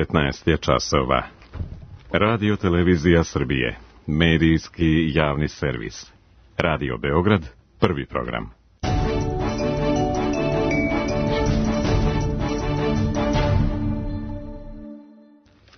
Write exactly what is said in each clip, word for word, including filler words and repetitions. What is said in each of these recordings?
devetnaest je časova. Radio Televizija Srbije, medijski javni servis. Radio Beograd, prvi program.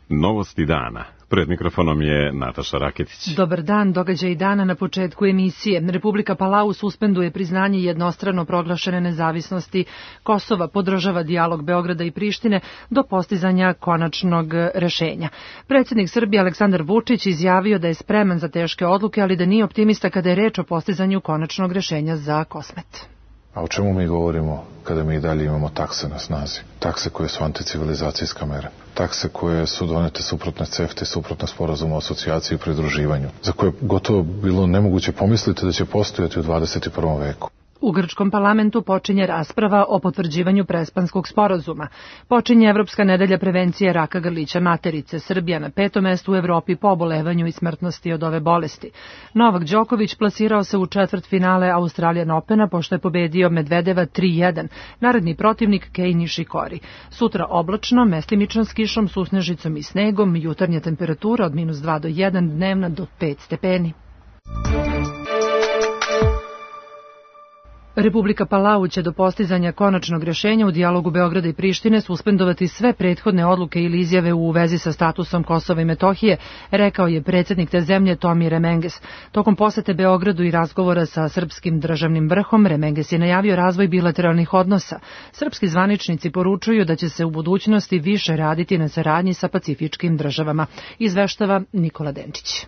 Novosti dana. Pred mikrofonom je Nataša Raketić. Dobar dan, događaj dana na početku emisije. Republika Palau suspenduje priznanje jednostrano proglašene nezavisnosti Kosova, podržava dijalog Beograda i Prištine do postizanja konačnog rešenja. Predsjednik Srbije Aleksandar Vučić izjavio da je spreman za teške odluke, ali da nije optimista kada je reč o postizanju konačnog rešenja za Kosmet. A o čemu mi govorimo kada mi i dalje imamo takse na snazi? Takse koje su anticivilizacijska mera. Takse koje su donete suprotne CEFTA i suprotne sporazuma o asocijaciji i pridruživanju, za koje gotovo bilo nemoguće pomisliti da će postojati u dvadeset prvom veku. U grčkom parlamentu počinje rasprava o potvrđivanju Prespanskog sporazuma. Počinje Evropska nedelja prevencije raka grlića materice. Srbija na petom mestu u Evropi po obolevanju i smrtnosti od ove bolesti. Novak Đoković plasirao se u četvrtfinale Australian Opena pošto je pobedio Medvedeva tri jedan. Naredni protivnik Kei Nishikori. Sutra oblačno, mestimično s kišom, susnežicom i snegom, jutarnja temperatura od minus dva do jedan, dnevna do pet stepeni. Republika Palau će do postizanja konačnog rješenja u dijalogu Beograda i Prištine suspendovati sve prethodne odluke ili izjave u vezi sa statusom Kosova i Metohije, rekao je predsjednik te zemlje Tomire Menges. Tokom posete Beogradu i razgovora sa srpskim državnim vrhom, Menges je najavio razvoj bilateralnih odnosa. Srpski zvaničnici poručuju da će se u budućnosti više raditi na saradnji sa pacifičkim državama, izveštava Nikola Denčić.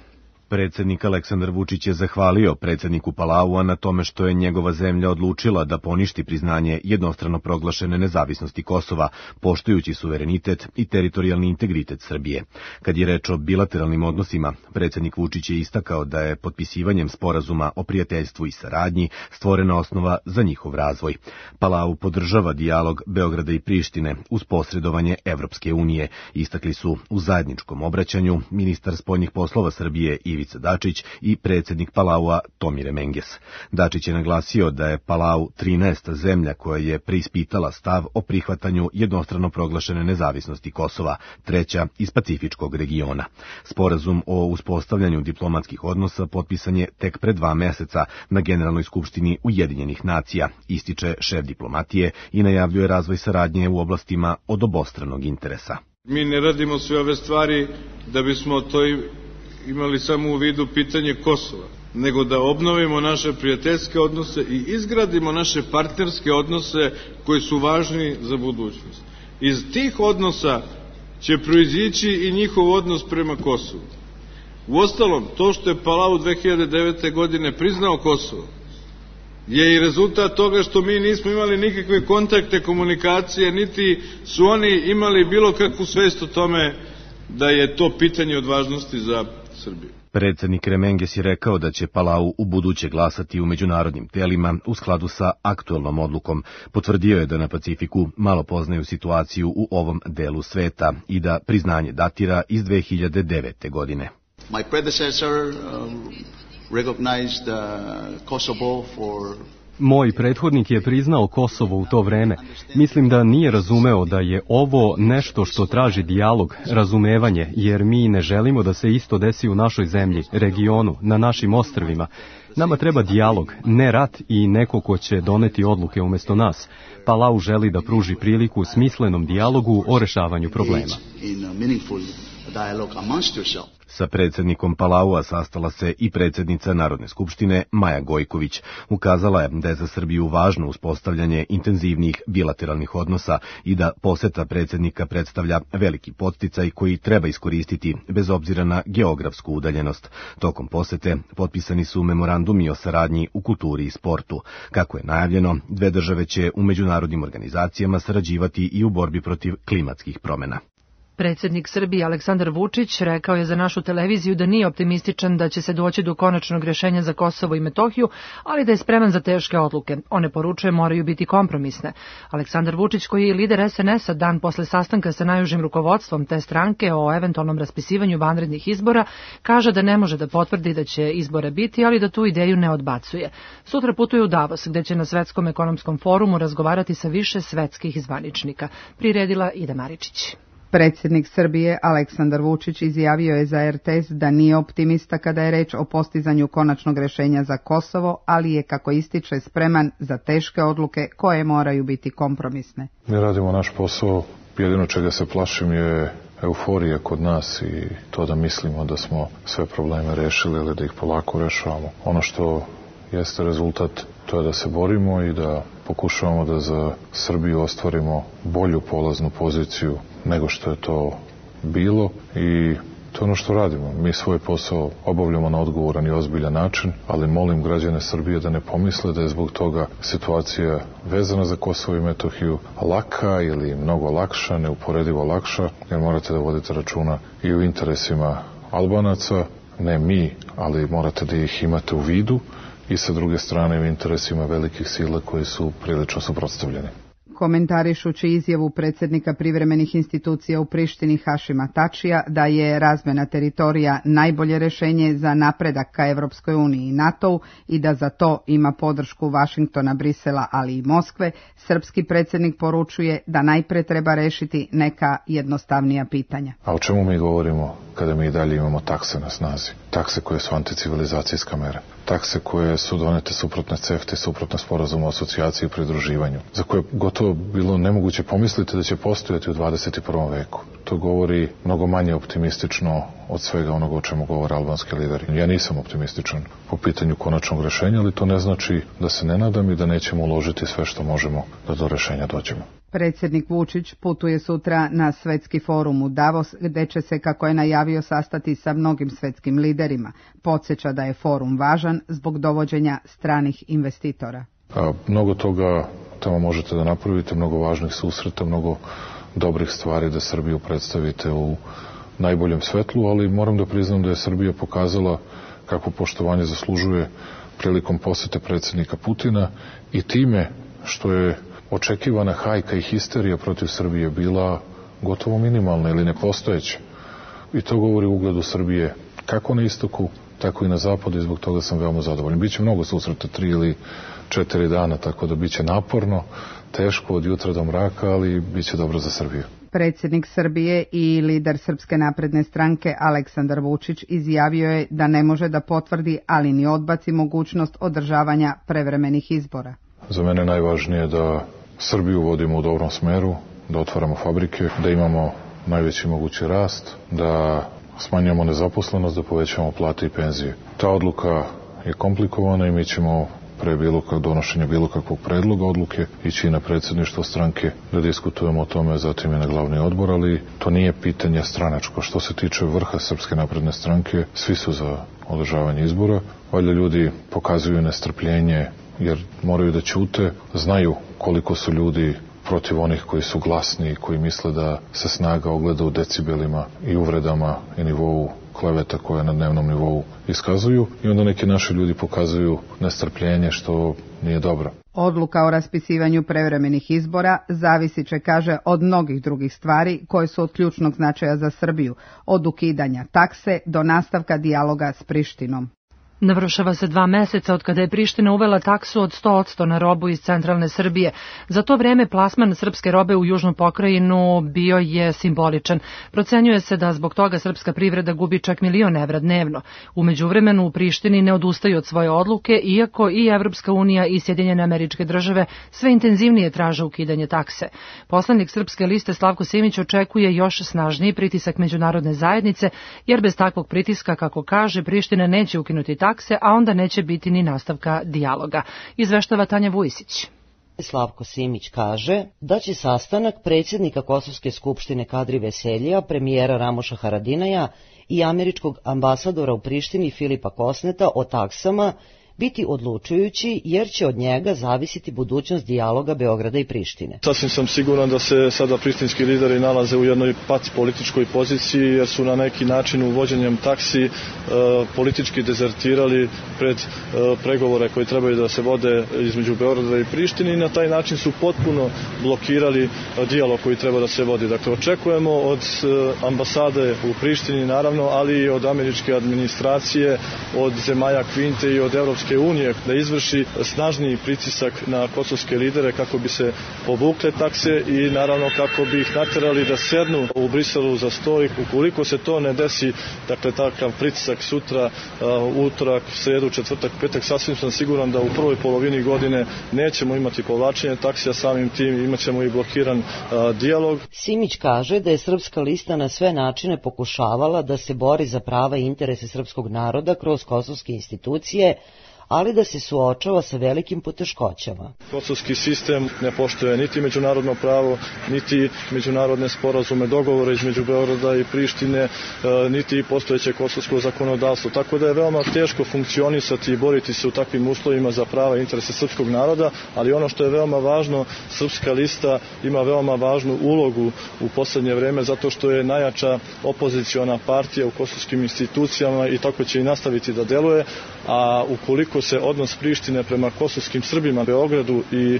Predsjednik Aleksandar Vučić je zahvalio predsjedniku Palaua na tome što je njegova zemlja odlučila da poništi priznanje jednostrano proglašene nezavisnosti Kosova, poštujući suverenitet i teritorijalni integritet Srbije. Kad je reč o bilateralnim odnosima, predsjednik Vučić je istakao da je potpisivanjem sporazuma o prijateljstvu i saradnji stvorena osnova za njihov razvoj. Palau podržava dijalog Beograda i Prištine uz posredovanje Evropske unije, istakli su u zajedničkom obraćanju ministar spoljnih poslova Srbije Ivica Dačić i predsjednik Palaua Tomire Menges. Dačić je naglasio da je Palau trinaesta zemlja koja je preispitala stav o prihvatanju jednostrano proglašene nezavisnosti Kosova, treća iz Pacifičkog regiona. Sporazum o uspostavljanju diplomatskih odnosa potpisan je tek pre dva meseca na Generalnoj skupštini Ujedinjenih nacija, ističe šef diplomatije i najavljuje razvoj saradnje u oblastima od obostranog interesa. Mi ne radimo sve ove stvari da bismo to imali samo u vidu pitanje Kosova, nego da obnovimo naše prijateljske odnose i izgradimo naše partnerske odnose koji su važni za budućnost. Iz tih odnosa će proizići i njihov odnos prema Kosovu. Uostalom, to što je Palau dve hiljade devete. godine priznao Kosovo, je i rezultat toga što mi nismo imali nikakve kontakte, komunikacije, niti su oni imali bilo kakvu svest o tome da je to pitanje od važnosti za Srbiju. Predsjednik Menges je rekao da će Palau u buduće glasati u međunarodnim telima u skladu sa aktuelnom odlukom. Potvrdio je da na Pacifiku malo poznaju situaciju u ovom delu sveta i da priznanje datira iz dve hiljade devete. godine. My predecessor um, recognized uh, Kosovo for Moj prethodnik je priznao Kosovo u to vreme. Mislim da nije razumeo da je ovo nešto što traži dijalog, razumevanje, jer mi ne želimo da se isto desi u našoj zemlji, regionu, na našim ostrvima. Nama treba dijalog, ne rat i neko ko će doneti odluke umjesto nas. Palau želi da pruži priliku smislenom dijalogu o rešavanju problema. Sa predsjednikom Palaua sastala se i predsjednica Narodne skupštine Maja Gojković. Ukazala je da je za Srbiju važno uspostavljanje intenzivnih bilateralnih odnosa i da poseta predsjednika predstavlja veliki podsticaj koji treba iskoristiti bez obzira na geografsku udaljenost. Tokom posete potpisani su memorandumi o saradnji u kulturi i sportu. Kako je najavljeno, dve države će u međunarodnim organizacijama sarađivati i u borbi protiv klimatskih promjena. Predsjednik Srbije Aleksandar Vučić rekao je za našu televiziju da nije optimističan da će se doći do konačnog rješenja za Kosovo i Metohiju, ali da je spreman za teške odluke. One, poručuje, moraju biti kompromisne. Aleksandar Vučić, koji je lider es en es-a dan posle sastanka sa najužim rukovodstvom te stranke o eventualnom raspisivanju vanrednih izbora, kaže da ne može da potvrdi da će izbora biti, ali da tu ideju ne odbacuje. Sutra putuje u Davos, gde će na Svetskom ekonomskom forumu razgovarati sa više svetskih zvaničnika. Priredila Ida Maričić. Predsjednik Srbije Aleksandar Vučić izjavio je za er te es da nije optimista kada je reč o postizanju konačnog rješenja za Kosovo, ali je, kako ističe, spreman za teške odluke koje moraju biti kompromisne. Mi radimo naš posao, jedino čega se plašim je euforija kod nas i to da mislimo da smo sve probleme rešili ili da ih polako rešavamo. Ono što jeste rezultat, to je da se borimo i da pokušavamo da za Srbiju ostvarimo bolju polaznu poziciju nego što je to bilo i to je ono što radimo. Mi svoj posao obavljamo na odgovoran i ozbiljan način, ali molim građane Srbije da ne pomisle da je zbog toga situacija vezana za Kosovo i Metohiju laka ili mnogo lakša, neuporedivo lakša, jer morate da vodite računa i u interesima Albanaca, ne mi, ali morate da ih imate u vidu, i sa druge strane u interesima velikih sila koji su prilično suprotstavljeni. Komentarišući izjavu predsjednika privremenih institucija u Prištini Hašima Tačija da je razmjena teritorija najbolje rješenje za napredak ka Evropskoj uniji i NATO-u i da za to ima podršku Vašingtona, Brisela, ali i Moskve, srpski predsjednik poručuje da najpre treba rešiti neka jednostavnija pitanja. A o čemu mi govorimo kada mi i dalje imamo takse na snazi? Takse koje su anticivilizacijska mera. Takse koje su donete suprotne CEFTA i suprotne sporazumu o asocijaciji i pridruživanju, za koje gotovo bilo nemoguće pomisliti da će postojati u dvadeset prvom veku. To govori mnogo manje optimistično od svega onoga o čemu govore albanski lideri. Ja nisam optimističan po pitanju konačnog rešenja, ali to ne znači da se ne nadam i da nećemo uložiti sve što možemo da do rešenja dođemo. Predsjednik Vučić putuje sutra na svetski forum u Davos, gde će se, kako je najavio, sastati sa mnogim svetskim liderima. Podsjeća da je forum važan zbog dovođenja stranih investitora. A, mnogo toga tamo možete da napravite, mnogo važnih susreta, mnogo dobrih stvari da Srbiju predstavite u najboljem svetlu, ali moram da priznam da je Srbija pokazala kako poštovanje zaslužuje prilikom posete predsjednika Putina i time što je očekivana hajka i histerija protiv Srbije bila gotovo minimalna ili nepostojeća. I to govori u ugledu Srbije kako na istoku, tako i na zapadu i zbog toga sam veoma zadovoljan. Biće mnogo susreta, tri ili četiri dana, tako da biće naporno, teško od jutra do mraka, ali biće dobro za Srbiju. Predsjednik Srbije i lider Srpske napredne stranke Aleksandar Vučić izjavio je da ne može da potvrdi, ali ni odbaci mogućnost održavanja prevremenih izbora. Za mene najvažnije da Srbiju vodimo u dobrom smeru, da otvaramo fabrike, da imamo najveći mogući rast, da smanjujemo nezaposlenost, da povećamo plate i penzije. Ta odluka je komplikovana i mi ćemo pre bilo kak donošenja bilo kakvog predloga odluke ići na predsjedništvo stranke da diskutujemo o tome, zatim i na glavni odbor, ali to nije pitanje stranačko. Što se tiče vrha Srpske napredne stranke, svi su za održavanje izbora. Valjda ljudi pokazuju nestrpljenje jer moraju da ćute, znaju koliko su ljudi protiv onih koji su glasni i koji misle da se snaga ogleda u decibelima i uvredama i nivou kleveta koje na dnevnom nivou iskazuju i onda neki naši ljudi pokazuju nestrpljenje što nije dobro. Odluka o raspisivanju prevremenih izbora zavisit će, kaže, od mnogih drugih stvari koje su od ključnog značaja za Srbiju, od ukidanja takse do nastavka dijaloga s Prištinom. Navršava se dva meseca od kada je Priština uvela taksu od sto posto na robu iz centralne Srbije. Za to vreme plasman srpske robe u južnu pokrajinu bio je simboličan. Procenjuje se da zbog toga srpska privreda gubi čak milion evra dnevno. U međuvremenu u Prištini ne odustaju od svoje odluke, iako i Evropska unija i Sjedinjene Američke Države sve intenzivnije traže ukidanje takse. Poslanik Srpske liste Slavko Simić očekuje još snažniji pritisak međunarodne zajednice, jer bez takvog pritiska, kako kaže, Priština neće ukinuti taksu, a onda neće biti ni nastavka dijaloga. Izveštava Tanja Vujisić. Slavko Simić kaže da će sastanak predsjednika Kosovske skupštine Kadri Veseljija, premijera Ramoša Haradinaja i američkog ambasadora u Prištini Filipa Kosneta o taksama biti odlučujući, jer će od njega zavisiti budućnost dijaloga Beograda i Prištine. Sasvim sam siguran da se sada prištinski lideri nalaze u jednoj pac političkoj poziciji, jer su na neki način uvođenjem taksi e, politički dezertirali pred e, pregovore koji trebaju da se vode između Beograda i Prištine i na taj način su potpuno blokirali e, dijalog koji treba da se vodi. Dakle, očekujemo od e, ambasade u Prištini, naravno, ali i od američke administracije, od zemalja Kvinte i od Evropske Evropske unije da izvrši snažniji pritisak na kosovske lidere kako bi se povukle takse i naravno kako bi ih naterali da sednu u Briselu za sto. Ukoliko se to ne desi, dakle takav pritisak sutra, utorak, sredu, četvrtak, petak, sasvim sam siguran da u prvoj polovini godine nećemo imati povlačenje taksija, samim tim imat ćemo i blokiran a, dijalog. Simić kaže da je Srpska lista na sve načine pokušavala da se bori za prava i interese srpskog naroda kroz kosovske institucije, ali da se suočava sa velikim poteškoćama. Kosovski sistem ne poštuje niti međunarodno pravo, niti međunarodne sporazume, dogovore između Beograda i Prištine, niti postojeće kosovsko zakonodavstvo. Tako da je veoma teško funkcionisati i boriti se u takvim uslovima za prava i interese srpskog naroda, ali ono što je veoma važno, Srpska lista ima veoma važnu ulogu u poslednje vreme zato što je najjača opoziciona partija u kosovskim institucijama i tako će i nastaviti da deluje, a ukoliko se odnos Prištine prema kosovskim Srbima u Beogradu i e,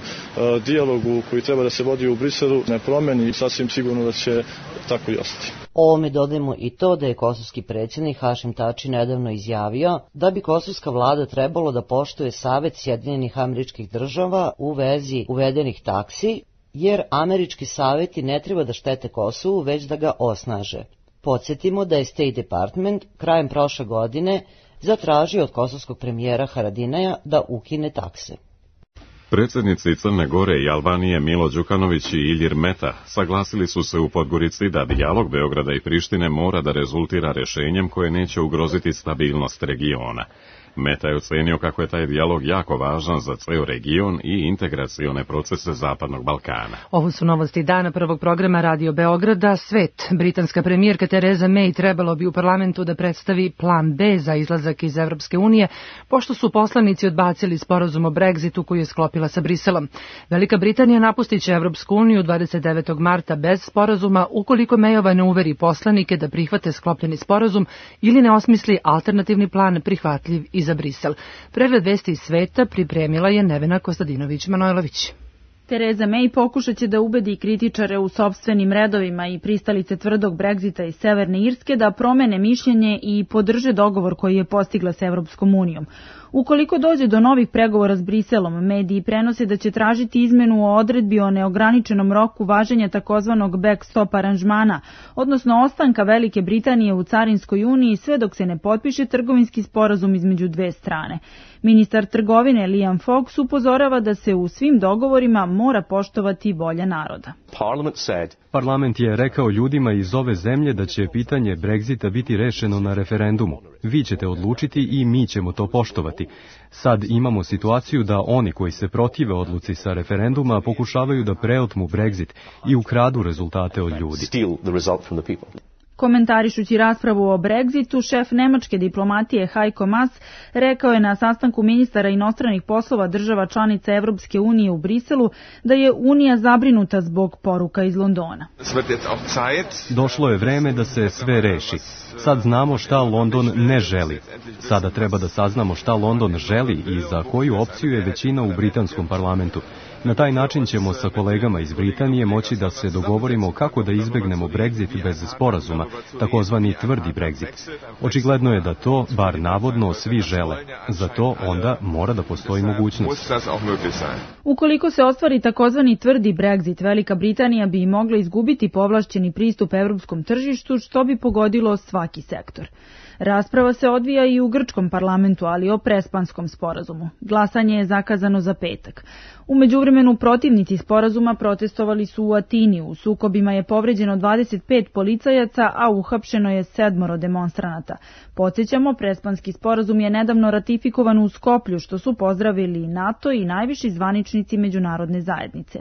dijalogu koji treba da se vodi u Briselu ne promeni, sasvim sigurno da će tako i ostati. Ovome dodajemo i to da je kosovski predsjednik Hašim Tači nedavno izjavio da bi kosovska vlada trebalo da poštuje Savet Sjedinjenih Američkih Država u vezi uvedenih taksi, jer američki saveti ne treba da štete Kosovu, već da ga osnaže. Podsjetimo da je State Department krajem prošle godine zatražio od kosovskog premijera Haradinaja da ukine takse. Predsjednici Crne Gore i Albanije Milo Đukanović i Iljir Meta saglasili su se u Podgorici da dijalog Beograda i Prištine mora da rezultira rešenjem koje neće ugroziti stabilnost regiona. Meta je ocenio kako je taj dijalog jako važan za ceo region i integracione procese Zapadnog Balkana. Ovo su novosti dana prvog programa Radio Beograda. Svet. Britanska premijerka Tereza May trebalo bi u parlamentu da predstavi plan B za izlazak iz Evropske unije, pošto su poslanici odbacili sporazum o Brexitu koji je sklopila sa Briselom. Velika Britanija napustit će Evropsku uniju dvadeset devetog marta bez sporazuma ukoliko Mayova ne uveri poslanike da prihvate sklopljeni sporazum ili ne osmisli alternativni plan prihvatljiv i za Brisel. Pregled vesti iz sveta pripremila je Nevena Kostadinović-Manojlović. Tereza May pokušat će da ubedi kritičare u sopstvenim redovima i pristalice tvrdog Brexita iz Severne Irske da promene mišljenje i podrže dogovor koji je postigla s Evropskom unijom. Ukoliko dođe do novih pregovora s Briselom, mediji prenose da će tražiti izmenu o odredbi o neograničenom roku važenja takozvanog backstop aranžmana, odnosno ostanka Velike Britanije u Carinskoj uniji sve dok se ne potpiše trgovinski sporazum između dve strane. Ministar trgovine Liam Fox upozorava da se u svim dogovorima mora poštovati volja naroda. Parlament je rekao ljudima iz ove zemlje da će pitanje Brexita biti rešeno na referendumu. Vi ćete odlučiti i mi ćemo to poštovati. Sad imamo situaciju da oni koji se protive odluci sa referenduma pokušavaju da preotmu Brexit i ukradu rezultate od ljudi. Komentarišući raspravu o Brexitu, šef nemačke diplomatije Heiko Maas rekao je na sastanku ministara inostranih poslova država članica Evropske unije u Briselu da je Unija zabrinuta zbog poruka iz Londona. Došlo je vreme da se sve reši. Sad znamo šta London ne želi. Sada treba da saznamo šta London želi i za koju opciju je većina u britanskom parlamentu. Na taj način ćemo sa kolegama iz Britanije moći da se dogovorimo kako da izbegnemo Brexit bez sporazuma, takozvani tvrdi Brexit. Očigledno je da to, bar navodno, svi žele. Za to onda mora da postoji mogućnost. Ukoliko se ostvari takozvani tvrdi Brexit, Velika Britanija bi mogla izgubiti povlašćeni pristup evropskom tržištu, što bi pogodilo svaki sektor. Rasprava se odvija i u grčkom parlamentu, ali o prespanskom sporazumu. Glasanje je zakazano za petak. U međuvremenu protivnici sporazuma protestovali su u Atini. U sukobima je povređeno dvadeset pet policajaca, a uhapšeno je sedmoro demonstranata. Podsjećamo, prespanski sporazum je nedavno ratifikovan u Skoplju, što su pozdravili NATO i najviši zvaničnici međunarodne zajednice.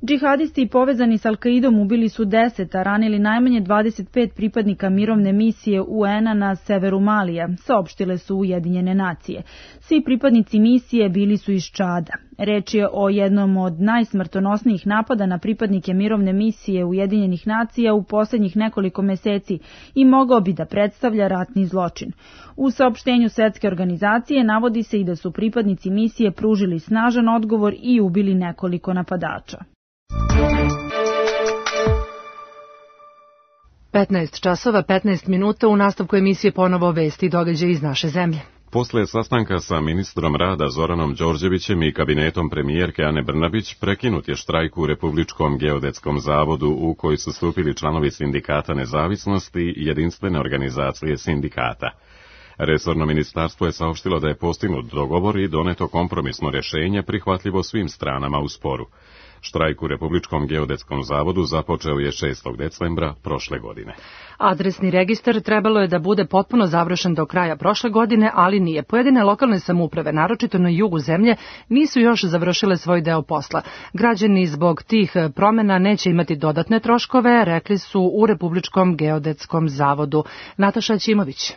Džihadisti povezani s Al-Kaidom ubili su deset, a ranili najmanje dvadeset pet pripadnika mirovne misije U N-a na severu Malija, saopštile su Ujedinjene nacije. Svi pripadnici misije bili su iz Čada. Reč je o jednom od najsmrtonosnijih napada na pripadnike mirovne misije Ujedinjenih nacija u posljednjih nekoliko meseci i mogao bi da predstavlja ratni zločin. U saopštenju Svetske organizacije navodi se i da su pripadnici misije pružili snažan odgovor i ubili nekoliko napadača. petnaest časova, petnaest minuta, u nastavku emisije ponovo vesti i događaje iz naše zemlje. Posle sastanka sa ministrom rada Zoranom Đorđevićem i kabinetom premijerke Ane Brnabić prekinut je štrajk u Republičkom geodetskom zavodu u koji su stupili članovi Sindikata nezavisnosti i Jedinstvene organizacije sindikata. Resorno ministarstvo je saopštilo da je postignut dogovor i doneto kompromisno rješenje prihvatljivo svim stranama u sporu. Štrajk u Republičkom geodetskom zavodu započeo je šestog decembra prošle godine. Adresni registar trebalo je da bude potpuno završen do kraja prošle godine, ali nije. Pojedine lokalne samouprave, naročito na jugu zemlje, nisu još završile svoj deo posla. Građani zbog tih promjena neće imati dodatne troškove, rekli su u Republičkom geodetskom zavodu. Nataša Ćimović.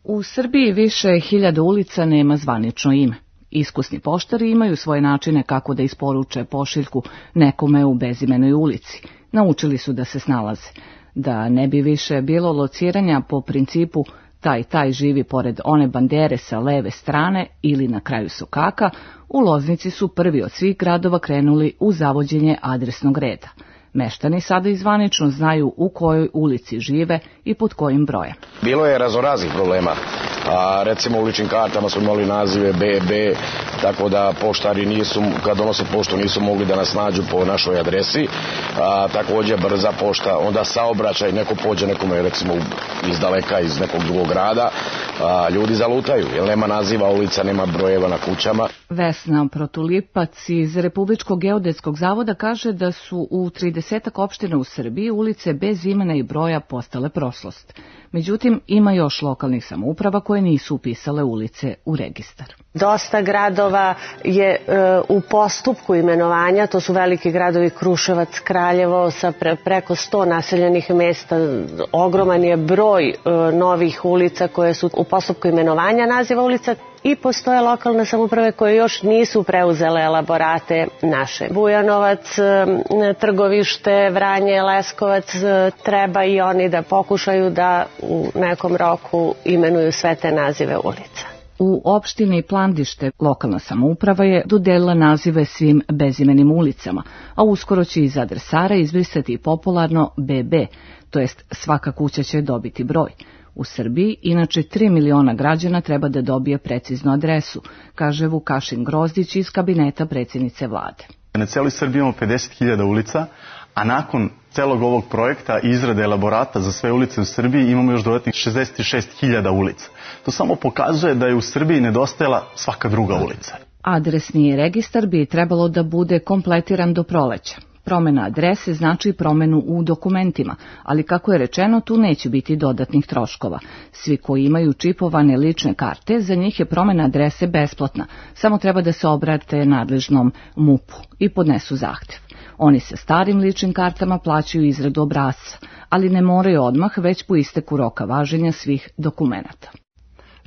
U Srbiji više hiljada ulica nema zvanično ime. Iskusni poštari imaju svoje načine kako da isporuče pošiljku nekome u bezimenoj ulici. Naučili su da se snalaze. Da ne bi više bilo lociranja po principu taj taj živi pored one bandere sa leve strane ili na kraju sokaka, u Loznici su prvi od svih gradova krenuli u zavođenje adresnog reda. Meštani sada izvanično znaju u kojoj ulici žive i pod kojim brojem. Bilo je razoraznih problema. A, recimo u ličnim kartama smo imali nazive B B, tako da poštari nisu, kad donose poštu nisu mogli da nas nađu po našoj adresi. A, također brza pošta, onda saobraćaj, neko pođe nekome recimo iz daleka, iz nekog drugog grada, a, ljudi zalutaju, jer nema naziva ulica, nema brojeva na kućama. Vesna Protulipac iz Republičkog geodetskog zavoda kaže da su u tridesetak opština u Srbiji ulice bez imena i broja postale prošlost. Međutim, ima još lokalnih samouprava koje nisu upisale ulice u registar. Dosta gradova je e, u postupku imenovanja, to su veliki gradovi Kruševac, Kraljevo sa pre, preko sto naseljenih mesta, ogroman je broj e, novih ulica koje su u postupku imenovanja naziva ulica i postoje lokalne samouprave koje još nisu preuzele elaborate naše. Bujanovac, e, Trgovište, Vranje, Leskovac, e, treba i oni da pokušaju da u nekom roku imenuju sve te nazive ulica. U opštini Plandište lokalna samouprava je dodelila nazive svim bezimenim ulicama, a uskoro će iz adresara izbrisati popularno B B, to jest svaka kuća će dobiti broj. U Srbiji, inače tri miliona građana treba da dobije preciznu adresu, kaže Vukašin Grozdić iz kabineta predsjednice vlade. Na celoj Srbiji imamo pedeset hiljada ulica, a nakon celog ovog projekta i izrade elaborata za sve ulice u Srbiji imamo još dodatnih šezdeset šest hiljada ulica. To samo pokazuje da je u Srbiji nedostajala svaka druga ulica. Adresni registar bi trebalo da bude kompletiran do proleća. Promjena adrese znači promjenu u dokumentima, ali kako je rečeno, tu neće biti dodatnih troškova. Svi koji imaju čipovane lične karte, za njih je promjena adrese besplatna, samo treba da se obrate nadležnom M U P-u i podnesu zahtev. Oni sa starim ličnim kartama plaćaju izradu obrasca, ali ne moraju odmah, već po isteku roka važenja svih dokumenata.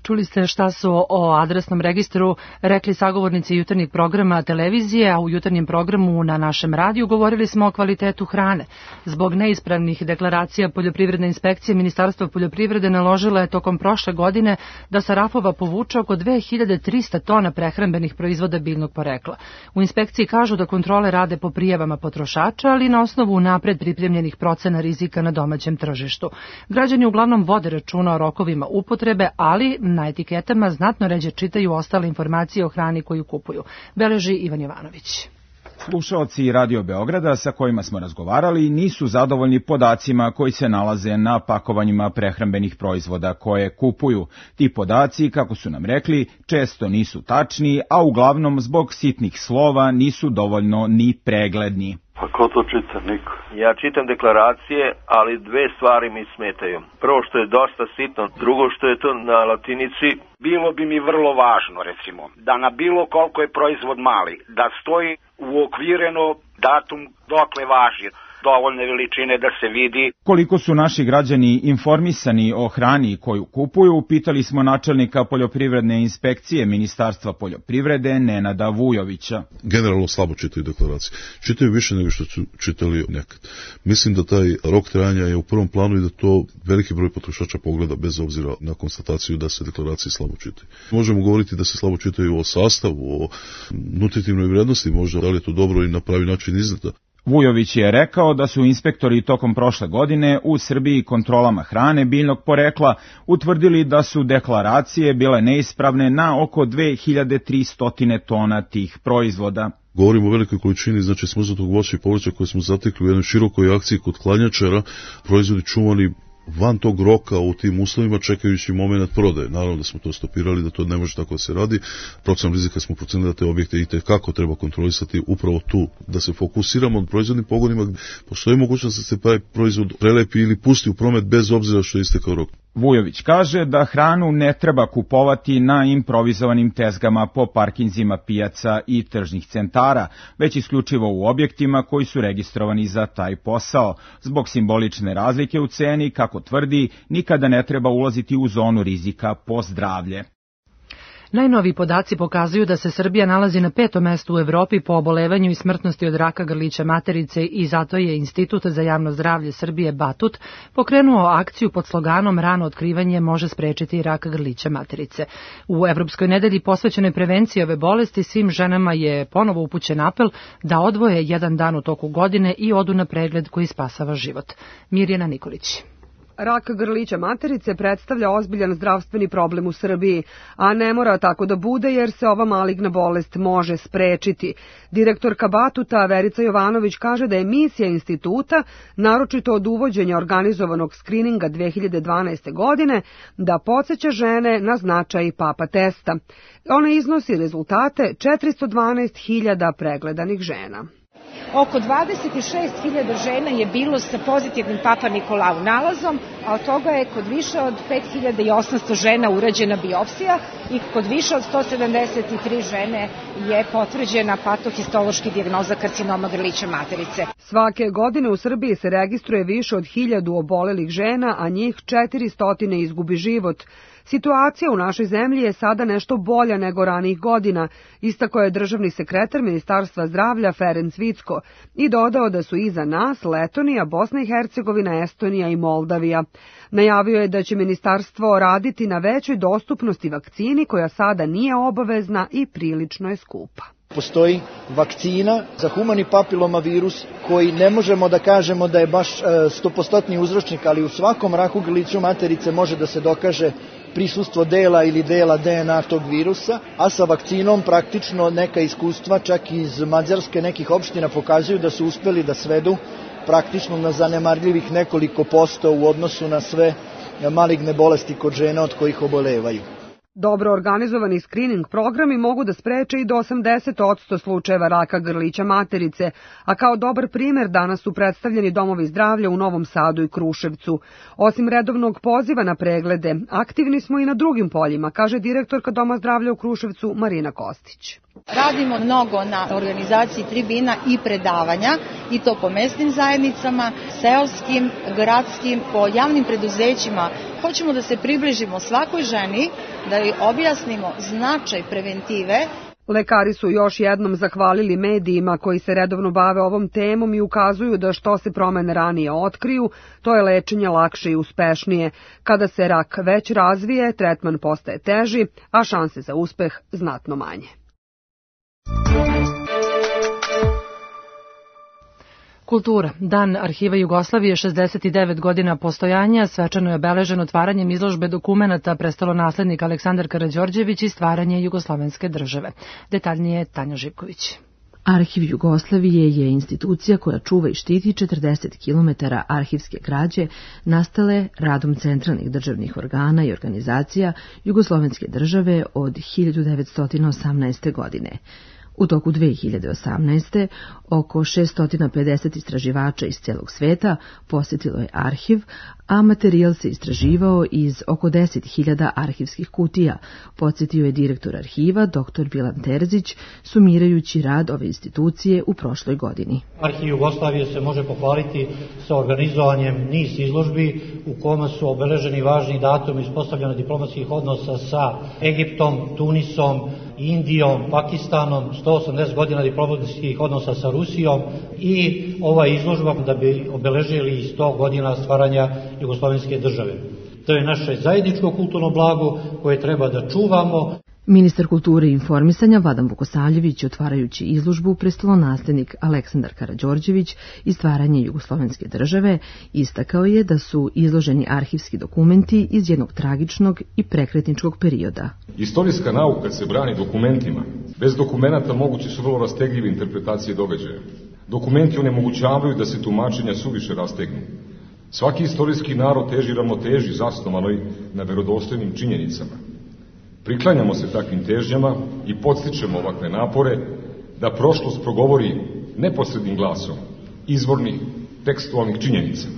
Čuli ste šta su o adresnom registru rekli sagovornici jutarnjeg programa televizije, a u jutarnjem programu na našem radiju govorili smo o kvalitetu hrane. Zbog neispravnih deklaracija poljoprivredne inspekcije, Ministarstvo poljoprivrede naložilo je tokom prošle godine da sa rafova povuče oko dve hiljade trista tona prehrambenih proizvoda biljnog porekla. U inspekciji kažu da kontrole rade po prijavama potrošača, ali na osnovu napred pripremljenih procena rizika na domaćem tržištu. Građani uglavnom vode računa o rokovima upotrebe, ali na etiketama znatno ređe čitaju ostale informacije o hrani koju kupuju. Beleži Ivan Jovanović. Slušaoci Radio Beograda sa kojima smo razgovarali nisu zadovoljni podacima koji se nalaze na pakovanjima prehrambenih proizvoda koje kupuju. Ti podaci, kako su nam rekli, često nisu tačni, a uglavnom zbog sitnih slova nisu dovoljno ni pregledni. Pa ko to čita? Niko. Ja čitam deklaracije, ali dve stvari mi smetaju. Prvo što je dosta sitno, drugo što je to na latinici. Bilo bi mi vrlo važno, recimo, da na bilo koliko je proizvod mali, da stoji uokvireno datum dokle važi, dovoljne veličine da se vidi. Koliko su naši građani informisani o hrani koju kupuju, pitali smo načelnika poljoprivredne inspekcije Ministarstva poljoprivrede Nenada Vujovića. Generalno slabo čitaju deklaracije. Čitaju više nego što su čitali nekad. Mislim da taj rok trajanja je u prvom planu i da to veliki broj potrošača pogleda bez obzira na konstataciju da se deklaracije slabo čitaju. Možemo govoriti da se slabo čitaju o sastavu, o nutritivnoj vrednosti, možda da li je to dobro i na pravi način izgleda. Vujović je rekao da su inspektori tokom prošle godine u Srbiji kontrolama hrane biljnog porekla utvrdili da su deklaracije bile neispravne na oko dve hiljade tristo tona tih proizvoda. Govorimo o velikoj količini, znači smrznutog voća i povrća koje smo zatekli u jednoj širokoj akciji kod hladnjačara, proizvodi čuvani van tog roka u tim uslovima čekajući moment prodaje. Naravno da smo to stopirali, da to ne može tako da se radi. Procenom rizika smo procenili da te objekte i kako treba kontrolisati upravo tu, da se fokusiramo na proizvodnim pogonima. Postoji mogućnost da se taj proizvod prelepi ili pusti u promet bez obzira što je istekao rok. Vujović kaže da hranu ne treba kupovati na improvizovanim tezgama po parkinzima pijaca i tržnih centara, već isključivo u objektima koji su registrovani za taj posao. Zbog simbolične razlike u ceni, kako tvrdi, nikada ne treba ulaziti u zonu rizika po zdravlje. Najnoviji podaci pokazuju da se Srbija nalazi na petom mestu u Evropi po obolevanju i smrtnosti od raka grlića materice i zato je Institut za javno zdravlje Srbije Batut pokrenuo akciju pod sloganom Rano otkrivanje može sprečiti rak grlića materice. U Evropskoj nedelji posvećenoj prevenciji ove bolesti svim ženama je ponovo upućen apel da odvoje jedan dan u toku godine i odu na pregled koji spasava život. Mirjana Nikolić. Rak grlića materice predstavlja ozbiljan zdravstveni problem u Srbiji, a ne mora tako da bude jer se ova maligna bolest može sprečiti. Direktorka Batuta Verica Jovanović kaže da je misija instituta, naročito od uvođenja organizovanog skrininga dve hiljade dvanaeste. godine, da podsjeća žene na značaj papa testa. Ona iznosi rezultate četiristo dvanaest hiljada pregledanih žena. Oko dvadeset šest hiljada žena je bilo sa pozitivnim Papa Nikolau nalazom, a od toga je kod više od pet hiljada osamsto žena urađena biopsija i kod više od sto sedamdeset tri žene je potvrđena patohistološki dijagnoza karcinoma grlića materice. Svake godine u Srbiji se registruje više od hiljadu obolelih žena, a njih četiristo izgubi život. Situacija u našoj zemlji je sada nešto bolja nego ranijih godina, istakao je državni sekretar Ministarstva zdravlja Ferenc Vicko i dodao da su iza nas Letonija, Bosna i Hercegovina, Estonija i Moldavija. Najavio je da će ministarstvo raditi na većoj dostupnosti vakcini koja sada nije obavezna i prilično je skupa. Postoji vakcina za humani papilomavirus koji ne možemo da kažemo da je baš stopostotni uzročnik, ali u svakom raku grlića materice može da se dokaže prisustvo dela ili dela D N A tog virusa, a sa vakcinom praktično neka iskustva čak iz Mađarske nekih opština pokazuju da su uspeli da svedu praktično na zanemarljivih nekoliko posto u odnosu na sve maligne bolesti kod žena od kojih obolevaju. Dobro organizovani screening programi mogu da spreče i do osamdeset posto slučajeva raka grlića materice, a kao dobar primer danas su predstavljeni domovi zdravlja u Novom Sadu i Kruševcu. Osim redovnog poziva na preglede, aktivni smo i na drugim poljima, kaže direktorka Doma zdravlja u Kruševcu Marina Kostić. Radimo mnogo na organizaciji tribina i predavanja, i to po mesnim zajednicama, seoskim, gradskim, po javnim preduzećima. Hoćemo da se približimo svakoj ženi, da joj objasnimo značaj preventive. Lekari su još jednom zahvalili medijima koji se redovno bave ovom temom i ukazuju da što se promene ranije otkriju, to je lečenje lakše i uspešnije. Kada se rak već razvije, tretman postaje teži, a šanse za uspeh znatno manje. Kultura. Dan Arhiva Jugoslavije, šezdeset devet godina postojanja, svečano je obeležen otvaranjem izložbe dokumenata prestolonaslednik Aleksandar Karađorđević i stvaranje jugoslovenske države. Detaljnije Tanja Živković. Arhiv Jugoslavije je institucija koja čuva i štiti četrdeset kilometara arhivske građe nastale radom centralnih državnih organa i organizacija jugoslovenske države od hiljadu devetsto osamnaeste. godine. U toku dve hiljade osamnaeste. oko šesto pedeset istraživača iz celog sveta posjetilo je arhiv, a materijal se istraživao iz oko deset hiljada arhivskih kutija, podsjetio je direktor arhiva dr. Bilan Terzić, sumirajući rad ove institucije u prošloj godini. Arhiv Jugoslavije se može pohvaliti sa organizovanjem niz izložbi u kojima su obeleženi važni datumi ispostavljanja diplomatskih odnosa sa Egiptom, Tunisom, Indijom, Pakistanom, sto osamdeset godina diplomatskih odnosa sa Rusijom i ova izložba da bi obeležili sto godina stvaranja jugoslovenske države. To je naše zajedničko kulturno blago koje treba da čuvamo. Ministar kulture i informisanja Vladan Vukosavljević, otvarajući izložbu prestolonaslednik Aleksandar Karađorđević i stvaranje jugoslovenske države, istakao je da su izloženi arhivski dokumenti iz jednog tragičnog i prekretničkog perioda. Istorijska nauka se brani dokumentima. Bez dokumenata moguće su vrlo rastegljive interpretacije događaja. Dokumenti onemogućavaju da se tumačenja suviše rastegnu. Svaki istorijski narod teži ravnoteži zasnovanoj na verodostojnim činjenicama. Priklanjamo se takvim težnjama i podstičemo ovakve napore da prošlost progovori neposrednim glasom izvornih tekstualnih činjenica.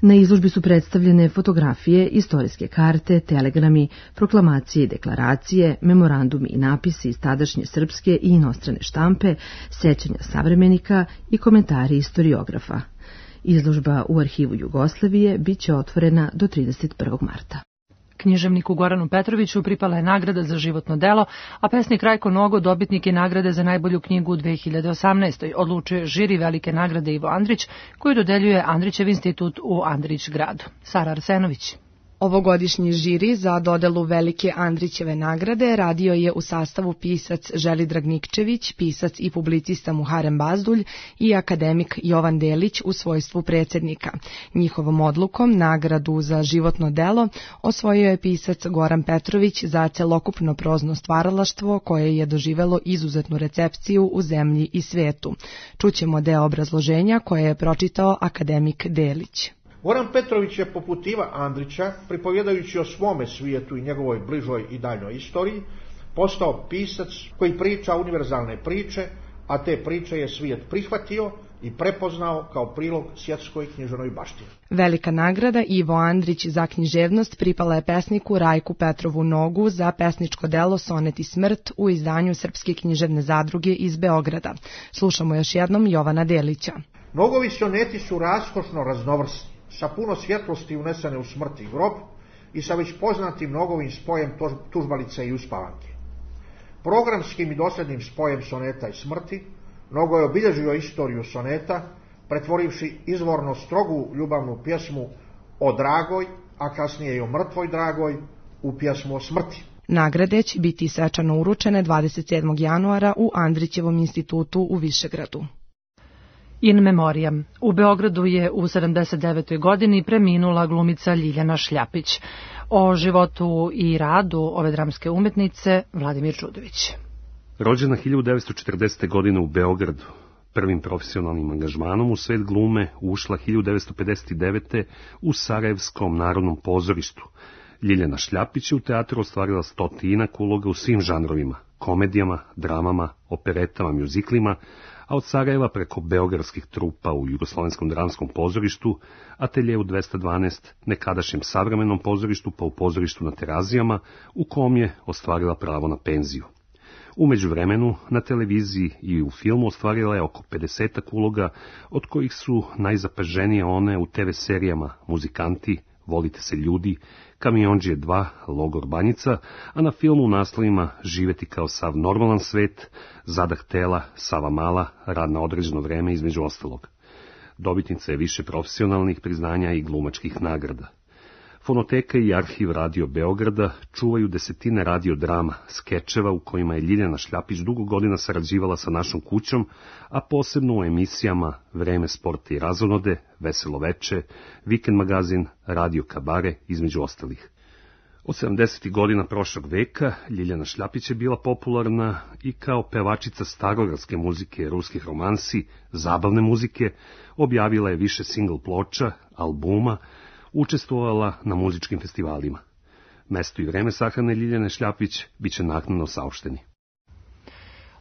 Na izložbi su predstavljene fotografije, istorijske karte, telegrami, proklamacije i deklaracije, memorandumi i napisi iz tadašnje srpske i inostrane štampe, sećanja savremenika i komentari istoriografa. Izložba u Arhivu Jugoslavije biće otvorena do trideset prvog marta. Književniku Goranu Petroviću pripala je nagrada za životno delo, a pesnik Rajko Nogo dobitnik je nagrade za najbolju knjigu u dve hiljade osamnaestoj. Odlučuje žiri velike nagrade Ivo Andrić, koju dodeljuje Andrićev institut u Andrić gradu. Sara Arsenović. Ovogodišnji žiri za dodelu velike Andrićeve nagrade radio je u sastavu pisac Želidrag Nikčević, pisac i publicista Muharem Bazdulj i akademik Jovan Delić u svojstvu predsjednika. Njihovom odlukom nagradu za životno delo osvojio je pisac Goran Petrović za celokupno prozno stvaralaštvo koje je doživelo izuzetnu recepciju u zemlji i svetu. Čućemo deo obrazloženja koje je pročitao akademik Delić. Goran Petrović je poput Iva Andrića, pripovjedajući o svome svijetu i njegovoj bližoj i daljnjoj istoriji, postao pisac koji priča univerzalne priče, a te priče je svijet prihvatio i prepoznao kao prilog svjetskoj književnoj baštini. Velika nagrada Ivo Andrić za književnost pripala je pesniku Rajku Petrovu Nogu za pesničko delo Sonet i smrt u izdanju Srpske književne zadruge iz Beograda. Slušamo još jednom Jovana Delića. Nogovi soneti su raskošno raznovrsni, sa puno svjetlosti unesene u smrt i grob i sa već poznatim nogovim spojem tužbalice i uspavanke. Programskim i dosljednim spojem soneta i smrti Nogo je obilježio istoriju soneta, pretvorivši izvorno strogu ljubavnu pjesmu o dragoj, a kasnije i o mrtvoj dragoj, u pjesmu o smrti. Nagrade će biti svečano uručene dvadeset sedmog januara u Andrićevom institutu u Višegradu. In memoriam. U Beogradu je u sedamdeset devetoj godini preminula glumica Ljiljana Šljapić. O životu i radu ove dramske umetnice Vladimir Čudović. Rođena hiljadu devetsto četrdesete. godine u Beogradu, prvim profesionalnim angažmanom u svet glume ušla hiljadu devetsto pedeset devete. u Sarajevskom narodnom pozorištu. Ljiljana Šljapić je u teatru ostvarila stotinak uloga u svim žanrovima, komedijama, dramama, operetama, mjuziklima, a od Sarajeva preko beogradskih trupa u Jugoslovenskom dramskom pozorištu, ateljeu dvesta dvanaest, nekadašnjem savremenom pozorištu pa u pozorištu na Terazijama, u kom je ostvarila pravo na penziju. U međuvremenu, na televiziji i u filmu ostvarila je oko pedesetak uloga, od kojih su najzapaženije one u te ve serijama Muzikanti, Volite se ljudi, Kamiondžije dva, Logor Banjica, a na filmu u naslovima Živeti kao sav normalan svet, Zadah tela, Sava mala, Rad na određeno vreme između ostalog. Dobitnica je više profesionalnih priznanja i glumačkih nagrada. Fonoteka i arhiv Radio Beograda čuvaju desetine radiodrama, skečeva u kojima je Ljiljana Šljapić dugo godina sarađivala sa našom kućom, a posebno u emisijama Vreme sporta i razonode, Veselo veče, Vikend magazin, Radio Kabare, između ostalih. Od sedamdesetih godina prošlog veka Ljiljana Šljapić je bila popularna i kao pevačica starogradske muzike, ruskih romansi, zabavne muzike, objavila je više singl ploča, albuma, učestvovala na muzičkim festivalima. Mesto i vreme sahrane Ljiljane Šljapić bit će naknadno saopšteni.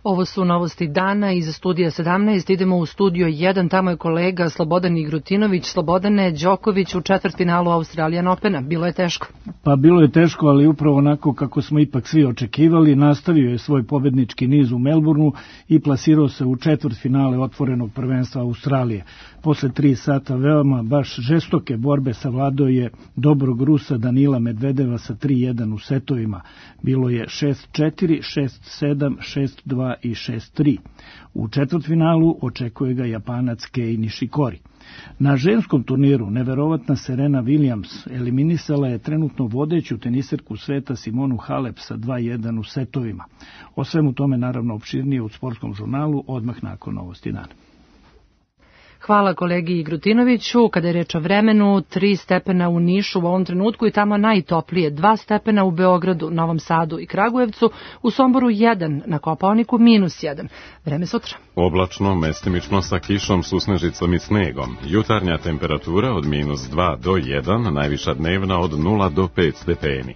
Ovo su novosti dana iz studija sedamnaest. Idemo u studio jedan, tamo je kolega Slobodan Igrutinović. Slobodane, Đoković u četvrtfinalu Australian Opena. Bilo je teško? Pa bilo je teško, ali upravo onako kako smo ipak svi očekivali. Nastavio je svoj pobednički niz u Melbourneu i plasirao se u četvrtfinale otvorenog prvenstva Australije. Posle tri sata veoma baš žestoke borbe savladao je dobrog Rusa Danila Medvedeva sa tri jedan u setovima. Bilo je šest četiri, šest sedam, šest dva dva i šest tri. U četvrtfinalu očekuje ga Japanac Kei Nishikori. Na ženskom turniru neverovatna Serena Williams eliminisala je trenutno vodeću teniserku sveta Simonu Halep sa dva jedan u setovima. O svemu tome naravno opširnije u Sportskom žurnalu odmah nakon novosti dana. Hvala kolegi Grutinoviću. Kada je reč o vremenu, tri stepena u Nišu u ovom trenutku i tamo najtoplije, dva stepena u Beogradu, Novom Sadu i Kragujevcu, u Somboru jedan, na Kopaoniku minus jedan. Vreme sutra. Oblačno, mestimično sa kišom, susnežicom i snegom. Jutarnja temperatura od minus dva do jedan, najviša dnevna od nula do pet stepeni.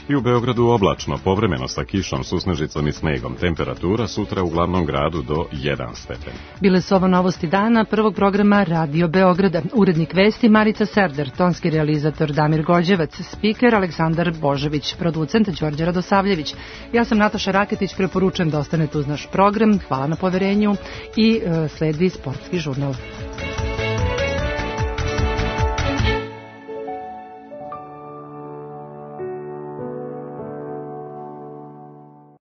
I u Beogradu oblačno, povremeno sa kišom, susnežicom i snegom. Temperatura sutra u glavnom gradu do jedan stepen. Bile su ovo novosti dana prvog programa Radio Beograda. Urednik vesti Marica Serder, tonski realizator Damir Gođevac, spiker Aleksandar Božević, producent Đorđe Radosavljević. Ja sam Nataša Raketić, preporučujem da ostanete uz naš program. Hvala na poverenju i e, sledi Sportski žurnal.